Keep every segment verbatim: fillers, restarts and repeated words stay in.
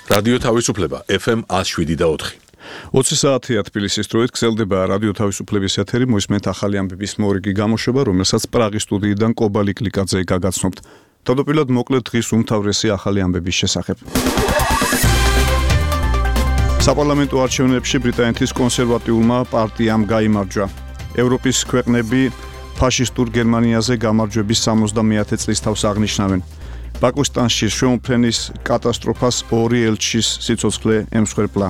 რადიო თავისუფლება ეფ ემ one oh seven და four. ოცი საათია თბილისის დროით გრძელდება რადიო თავისუფლების ეთერი, მოისმენთ ახალი ამბების მორიგი გამოშვება, რომელსაც პრაღის სტუდიიდან კობალი კლიკაძე გაგაცნობთ. თავდაპირველად მოკლედ დღის უმთავრესი ახალი ამბების შესახებ. საპარლამენტო არჩევნებში ბრიტანეთის კონსერვატიულმა პარტიამ გაიმარჯვა. ევროპის ქვეყნები ფაშისტურ გერმანიაზე გამარჯვების სამოცდამეათე წლის თავს აღნიშნავენ. პაკისტანში შეუმფრენის კატასტროფას ორი ელჩის სიცოცხლე ემსხვერპლა.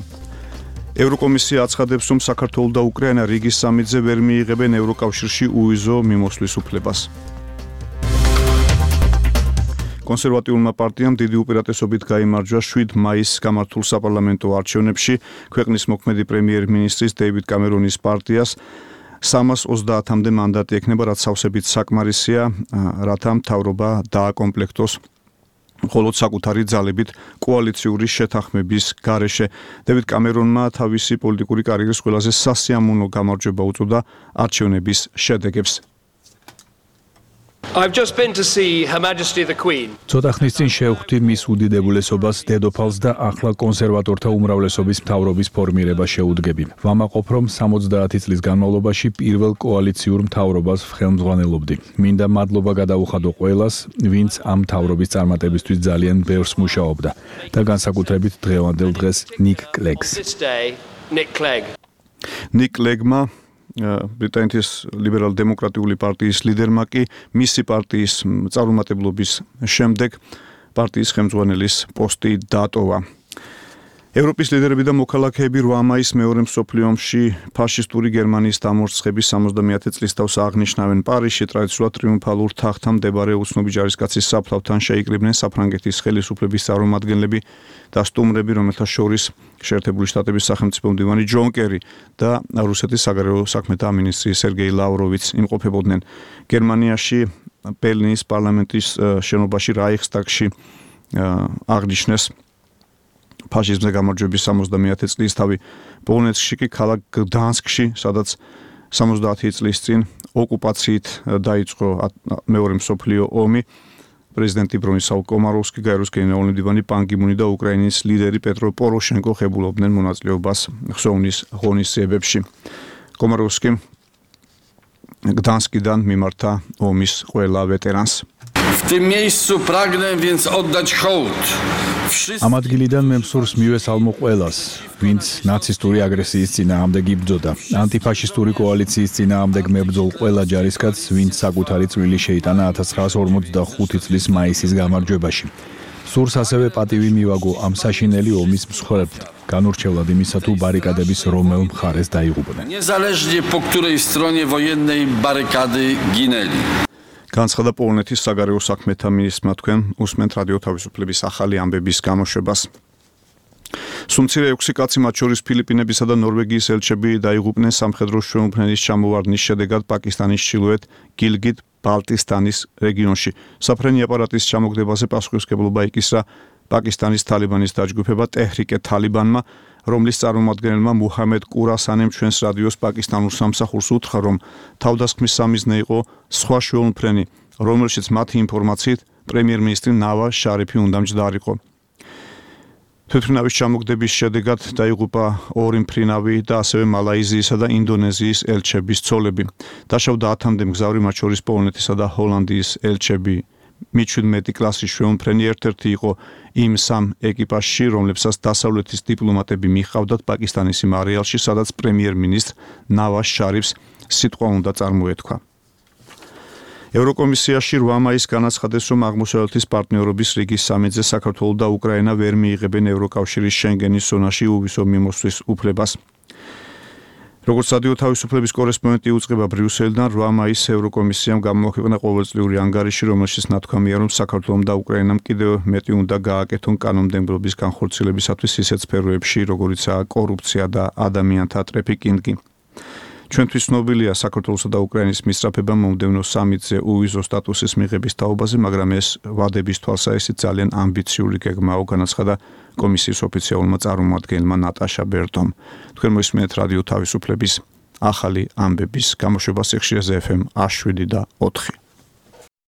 ევროკომისია აცხადებს, რომ საქართველო და უკრაინა რიგის სამიტზე ვერ მიიღებენ ევროკავშირში უვიზო მიმოსვლის უფლებას. კონსერვატიულმა პარტიამ დიდი უპირატესობით გაიმარჯვა შვიდ მაისს გამართულ საპარლამენტო არჩევნებში. ქვეყნის მოქმედი პრემიერ-მინისტრის დეივიდ კამერონის პარტიას სამას ოცდაათამდე მანდატი ექნება, რაც სავსებით საკმარისია, რათა მთავრობა დააკომპლექტოს მხოლოდ საკუთარი ძალებით კოალიციური შეთანხმების გარეშე. დევიდ კამერონმა თავისი პოლიტიკური კარიერის ყველაზე სასიამოვნო გამარჯვება უწოდა არჩევნების შედეგებს. I've just been to see Her Majesty the Queen. ცოტა ხნის წინ შევხვდი მის უდიდებულესობას დედოფალს და ახლა კონსერვატორთა უმრავლესობის მთავრობის ფორმირება შეუდგები. ვამაყობ, რომ სამოცდაათი წლის განმავლობაში პირველ კოალიციურ მთავრობას ხელმძღვანელობდი. მინდა მადლობა გადაუხადო ყველას, ვინც ამ მთავრობის წარმატებისთვის ძალიან ბევრს მუშაობდა და განსაკუთრებით დღევანდელ დღეს ნიკ კლეგს. Nick Clegg. ნიკ კლეგმა ბრიტანეთის ლიბერალ-დემოკრატიული პარტიის ლიდერმა კი მისი პარტიის წარუმატებლობის შემდეგ პარტიის ხელმძღვანელის პოსტი დატოვა. ევროპის ლიდერები და მოქალაქეები რვა მაისს მეორე მსოფლიო ომში ფაშისტური გერმანიის დამორცხების სამოცდამეათე წლის თავს აღნიშნავენ. პარიზში ტრადიციულად ტრიუმფალურ თაღთან მდებარე უცნობი ჯარისკაცის საფლავთან შეიკრიბნენ საფრანგეთის ხელისუფლების წარმომადგენლები და სტუმრები, რომელთა შორის შეერთებული შტატების სახელმწიფო მდივანი ჯონ კერი და რუსეთის საგარეო საქმეთა მინისტრი სერგეი ლავროვიც იმყოფებოდნენ. გერმანიაში ბერლინის პარლამენტის შენობაში რაიხსტაგში აღნიშნეს ფაშიზმზე გამარჯვების სამოცდამეათე წლისთავი. პოლონეთში კი ქალაქ გდანსკში, სადაც სამოცდაათი წლის წინ ოკუპაციით დაიწყო მეორე მსოფლიო ომი, პრეზიდენტი ბრონისლავ კომაროვსკი, გაეროს გენერალური მდივანი პან კი მუნი და უკრაინის ლიდერი პეტრო პოროშენკო ხებულობდნენ მონაწილეობას ხსოვნის ღონისძიებებში. კომაროვსკი გდანსკიდან მიმართა ომის ყველა ვეტერანს. W tym miejscu pragnę więc oddać hołd. ამ ადგილიდან მე მსურს მივესალმო ყველას, ვინც ნაცისტური აგრესიის წინააღმდეგ იბრძოდა, ანტიფაშისტური კოალიციის წინააღმდეგ მებრძოლ ყველა ჯარისკაცს, ვინც საკუთარი წვლილი შეიტანა ათას ცხრაასი ორმოცდახუთი წლის მაისის გამარჯვებაში. სურს ასევე პატივი მივაგო ამ საშინელი ომის მსხვერპლ, განურჩევლად იმისა თუ ბარიკადების რომელ მხარეს დაიღუპნენ. Niezależnie po której stronie wojennej barykady ginęli. განცხადა პოლონეთის საგარეო საქმეთა მინისტრმა. თქვენ უსმენთ რადიო თავისუფლების ახალი ამბების გამოშვებას. სუმცირე ექვსი კაცი, მათ შორის ფილიპინებისა და ნორვეგიის ელჩები დაიღუპნენ სამხედრო შეუმფრენის ჩამოვარდნის შედეგად პაკისტანის ჩრდილოეთ გილგიტ ბალტისტანის რეგიონში. საფრენი აპარატის ჩამოგდებაზე პასუხისმგებლობა იკისრა პაკისტანის თალიბანის დაჯგუფება ტეჰრიკე თალიბანმა, რომლის წარმომადგენელმა მუჰამედ კურასანემ ჩვენს რადიოს პაკისტანურ სამსახურს უთხრა, რომ თავდასხმის სამიზნე იყო სხვა შეუმფრენი, რომელშიც მათი ინფორმაციით პრემიერ-მინისტრი ნავაზ შარიფი უნდა მჯდარიყო. თვითმფრინავის ჩამოგდების შედეგად დაიღუპა ორი მფრინავი და ასევე მალაიზიისა და ინდონეზიის ელჩების ცოლები. დაშავდა ათამდე მგზავრი, მათ შორის პოლონეთისა და ჰოლანდიის ელჩები. მეჩვიდმეტი კლასის შეუმფრენი ერთ-ერთი იყო იმ სამ ეკიპაჟში, რომლებსაც დასავლეთის დიპლომატები მიჰყავდათ პაკისტანის იმ არეალში, სადაც პრემიერ-მინისტრ ნავაზ შარიფს სიტყვა უნდა წარმოეთქვა. ევროკომისიაში რვა მაისს განაცხადეს, რომ აღმოსავლეთის პარტნიორობის რიგის სამიტზე საქართველო და უკრაინა ვერ მიიღებენ ევროკავშირის შენგენის ზონაში უვისო მიმოსვლის უფლებას. როგორც რადიო თავისუფლების კორესპონდენტი უწყება ბრიუსელიდან, რვა მაისს ევროკომისიამ გამოაქვეყნა ყოველწლიური ანგარიში, რომელშიც ნათქვამია, რომ საქართველომ და უკრაინამ კიდევ მეტი უნდა გააკეთონ კანონმდებლობის განხორციელებისათვის ისეთ სფეროებში, როგორიცაა კორუფცია და ადამიანთა ტრაფიკინგი. ჩვენთვის ცნობილია საქართველოსა და უკრაინის მისწრაფება მომდევნო სამიტზე უვიზო სტატუსის მიღების თაობაზე, მაგრამ ეს ვადების თვალსაჩინო ძალიან ამბიციური გეგმაა, განაცხადა კომისიის ოფიციალურმა წარმომადგენელმა ნატაშა ბერტომ. თქვენ მოისმენთ რადიო თავისუფლების ახალი ამბების გამოშვებას ეხშიაზე ეფ ემ one oh seven და four.